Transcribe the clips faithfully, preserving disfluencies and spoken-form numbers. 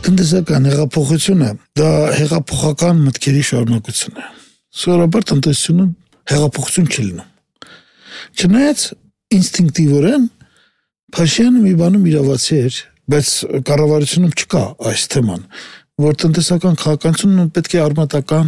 Տնտեսական հեղափոխությունը դա հեղափոխական մտքերի շարունակություն է։ Սովորաբար տնտեսությունում հեղափոխություն չի լինում։ Չնայած ինստինկտիվորեն Փաշինյանը մի բանում իրավացի էր, բայց կառավարությունում չկա այս թեման, որ տնտեսական քաղաքականությունը պետք է արմատական,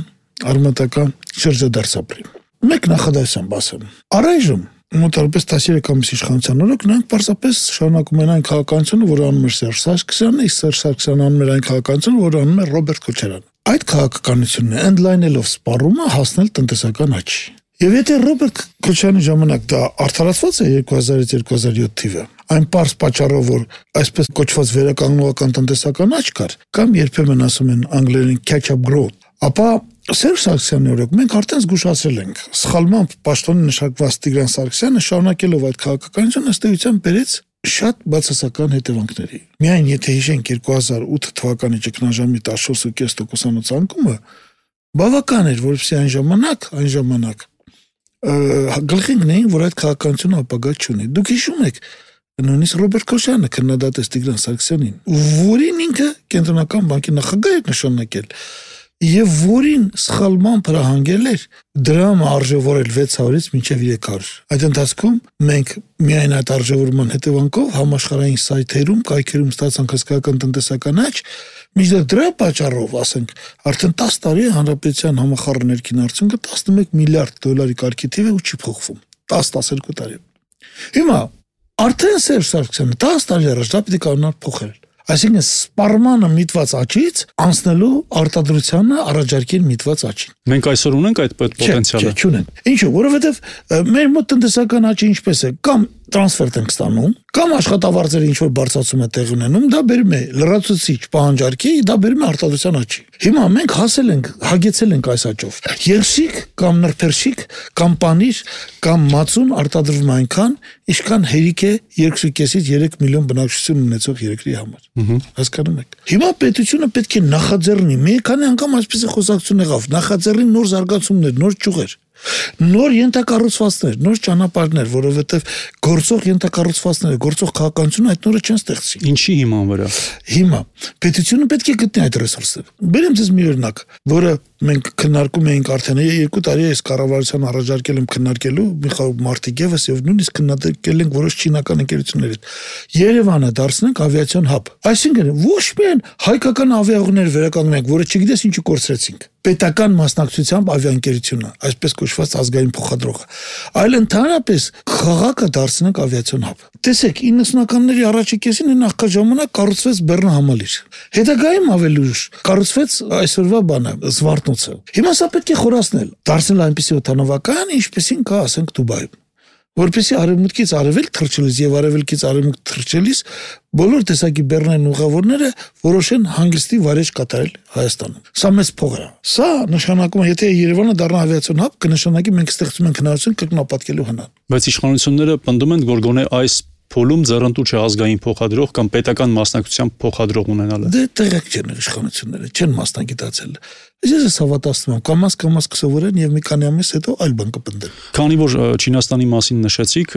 արմատական շրջադարձ ապրի։ Մեկ նախադասությամբ ասեմ։ Առայժմ մոտավորապես տասնյոթ ամիս իշխանության օրոք նրանք պարզապես շարունակում են այն քաղաքականությունը, որը անում էր Սերժ Սարգսյանը, իսկ Սերժ Սարգսյանը անում էր այն քաղաքականությունը, որը անում էր Ռոբերտ Քոչարյանը։ Այդ քաղաքականությունն է ընդլայնելով սպառումը հասնել տնտեսական աճի։ Եվ եթե Ռոբերտ Քոչարյանի ժամանակ դա արդարացված է երկու հազարից երկու հազար յոթ թիվը, այն պարզ պատճառով, որ այսպես կոչված վերականգնողական տնտեսական աճ կար, կամ երբեմն ասում են անգլերեն catch up growth, ապա Սերժ Սարգսյանի օրոք մենք արդեն զգուշացրել ենք, սխալմամբ պաշտոնի նշանակված Տիգրան Սարգսյանը շարունակելով այդ քաղաքականությունը ըստ էության բերեց շատ բացասական հետևանքների։ Միայն եթե հիշենք երկու հազար ութ թվականի ճգնաժամի տասնչորս կես տոկոսանոց անկումը, բավական էր, որպեսզի այն ժամանակ, այն ժամանակ գլխին գնային, որ այդ քաղաքականությունը ապագա չունի։ Դուք հիշում եք, նույնիսկ Ռոբերտ Քոչարյանը քննադատեց Տիգրան Սարգսյանին, որին ինքը կենտրոնական բանկի նախագահ էր նշանակել, եւ որին սխալմամբ հրահանգել էր դրամ արժևորել վեց հարյուրից մինչև երեք հարյուր։ Այդ ընթացքում մենք միայն այդ արժևորման հետևանքով համաշխարհային սայթերում, կայքերում ստացանք հսկայական տնտեսական աճ, մինչդեռ դրա պատճառով, ասենք, արդեն տասը տարի հանրապետության համախառն ներքին արդյունքը տասնմեկ միլիարդ դոլարի կարգի թիվ է ու չի փոխվում։ տասը տասներկու տարի։ Հիմա արդեն Սերժ Սարգսյանը տասը տարի առաջ դա պիտի կարողանար փոխել։ Այսինքն սպառմանը միտված աճից անցնելու արտադրությանը առաջարկել միտված աճին։ Մենք այսօր ունենք այդ պոտենցիալը։ Չէ, չունենք։ Ինչու՞, որովհետև մեր մոտ տնտեսական աճը ինչպես է, կամ տրանսֆերտ ենք ստանում, կամ աշխատավարձերը ինչ որ բարձրացում է տեղ ունենում, դա բերում է լրացուցիչ պահանջարկի, դա բերում է արտադրության աճի։ Հիմա մենք հասել ենք, հագեցել ենք այս աճով։ Երշիկ կամ նրբերշիկ կամ պանիր կամ մածուն արտադրվում այնքան, ինչքան հերիք է երկու կեսից երեք միլիոն բնակչություն ունեցող երկրի համար։ Հասկանում եք։ Հիմա պետությունը պետք է նախաձեռնի, մի քանի անգամ այսպես խոսակցություն եղավ, նախաձեռնի նոր զարգացումներ, նոր ճյուղեր, նոր ենթակառուցվածքներ, նոր ճանապարհներ, որովհետև գործող ենթակառուցվածքները, գործող քաղաքականությունը այդ նորը չեն ստեղծի։ Ինչի հիման վրա։ Հիմա պետությունը պետք է գտնի այդ ռեսուրսները։ Բերեմ ձեզ մի օրինակ, որը մենք քննարկում էինք արդեն երկու տարի այս կառավարության առաջարկել եմ քննարկելու Միխայել Մարտիկևս եւ նույնիսկ քննարկել ենք որոշ չինական ընկերությունների հետ։ Երևանը դարձնենք ավիացիոն հաբ։ Այսինքն ոչ միայն հայկական ավիաուղիներ վերականգնենք, որը չգիտես ինչու կորցրեցինք, պետական մասնակցությամբ ավիաընկերությունը, այսպես կոչված ազգային փոխադրողը, այլ ընդհանրապես քաղաքը դարձնենք ավիացիոն հաբ։ Տեսեք, իննսունականների առաջի կեսին նախքան ժամանակ կառուցվեց Բեռնա համալիր։ Հետագայում ավելի ուշ կառուցվեց այսօրվա բանը, Զվարթնոցը։ Հիմա սա պետք է խորացնել, դարձնել այնպիսի օդանավական, ինչպեսին կա, ասենք, Դուբայում, որպեսզի արևմուտքից արևելք թռչելիս եւ արևելքից արևմուտք թռչելիս բոլոր տեսակի բեռնային ուղավորները որոշեն հանգստի վարեժ կատարել Հայաստանում։ Սա մեծ փող է։ Սա նշանակում է, եթե Երևանը դառնա ավիացիոն հաբ, կնշանակի մենք ստեղծում ենք հնարավորություն կրկնապատկելու հնար։ Բայց իշխանությունները պնդում են, որ գոնե այս փոլում ձեռնտու չէ ազգային փոխադրող կամ պետական մասնակցությամբ փոխադրող ունենալը։ Դե տեղեկ չեն իշխանությունները, չեն մասնագիտացել։ Ես ես հավատացնում եմ, կամաց կամաց կսովորեն եւ մի քանի ամիս հետո այլ բան կպնդեն։ Քանի որ Չինաստանի մասին նշեցիք,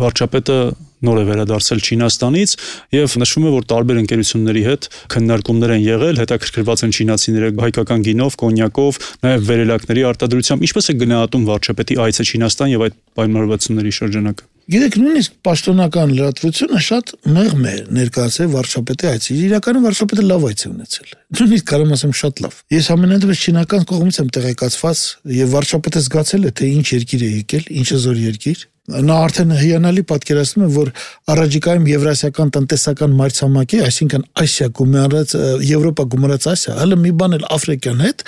վարչապետը նոր է վերադարձել Չինաստանից եւ նշվում է, որ տարբեր ընկերությունների հետ քննարկումներ են եղել, հետաքրքրված են չինացիները հայկական գինով, կոնյակով, նաեւ վերելակների արտադրությամբ։ Ինչպես է գնահատում վարչապետի այցը Չինաստան եւ այդ պայմանավորվածությունների շրջանակը։ Գիտեք, նույնիսկ պաշտոնական լրատվությունը շատ մեղմ է ներկայացել վարչապետի այցի։ Իրականում վարչապետը լավ այց է ունեցել։ Նույնիսկ կարող ասեմ շատ լավ։ Ես ամենանդեպս չինական կողմից եմ տեղեկացված եւ վարչապետը զգացել է, թե ինչ երկիր է եկել, ինչ զոր երկիր։ Նա արդեն հիանալի պատկերացնում է, որ առաջիկայում եվրասիական տնտեսական մայրցամաքի, այսինքն Ասիա գումարած Եվրոպա գումարած Ասիա, հələ մի բան էլ Աֆրիկյան հետ,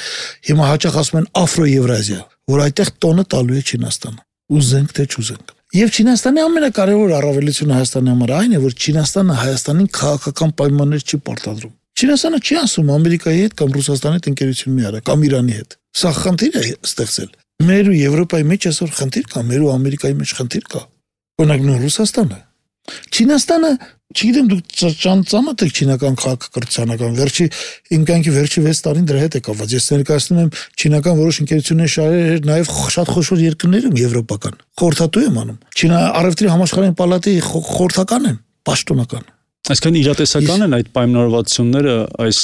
հիմա հաճախ ասում են Աֆրո-Եվրազիա, որ այդտեղ տոնը տալու է Չինաստանը։ Ուզենք թե չուզենք։ Եվ Չինաստանի ամենակարևոր առավելությունը Հայաստանի համար այն է, որ Չինաստանը Հայաստանին քաղաքական պայմաններ չի պարտադրում։ Չինաստանը չի ասում Ամերիկայի հետ կամ Ռուսաստանի հետ ընկերություն մի արա կամ Իրանի հետ։ Սա խնդիր է ստեղծել։ Մեր ու Եվրոպայի մեջ այսօր խնդիր կա, մեր ու Ամերիկայի մեջ խնդիր կա։ Օրինակ նույն Ռուսաստանը։ Չինաստանը, չգիտեմ դուք ծանոթ եք չինական քաղաքակրթությանական, վերջի իմ կյանքի վերջի վեց տարին դրա հետ է կապված։ Ես ներկայացնում եմ չինական որոշ ընկերություններ շահեր նաև շատ խոշոր երկրներում եվրոպական։ Խորհրդատու եմ անում։ Չինա առևտրի համաշխարհային պալատի խորհրդական եմ, պաշտոնական։ Այսինքն իրատեսական են այդ պայմանավորվածությունները, այս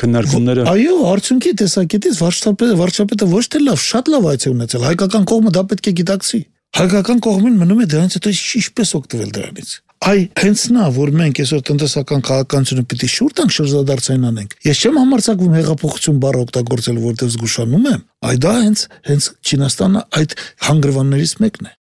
քննարկումները։ Այո, արդյունքի տեսակետից վարչապետը վարչապետը ոչ թե լավ, շատ լավ այց է ունեցել։ Հայկական կողմը դա պետք է գիտակցի։ Հայկական կողմին մնում է դրանից հետո ինչպես օգտվել դրանից։ Այ հենց նա, որ մենք այսօր տնտեսական քաղաքականությունը պիտի շուտ տանք շրջադարձային անենք։ Ես չեմ համարձակվում հեղափոխություն բառը օգտագործել, որտեղ զգուշանում եմ։ Այ դա հենց հենց Չինաստանը այդ հանգրվաններից մեկն է։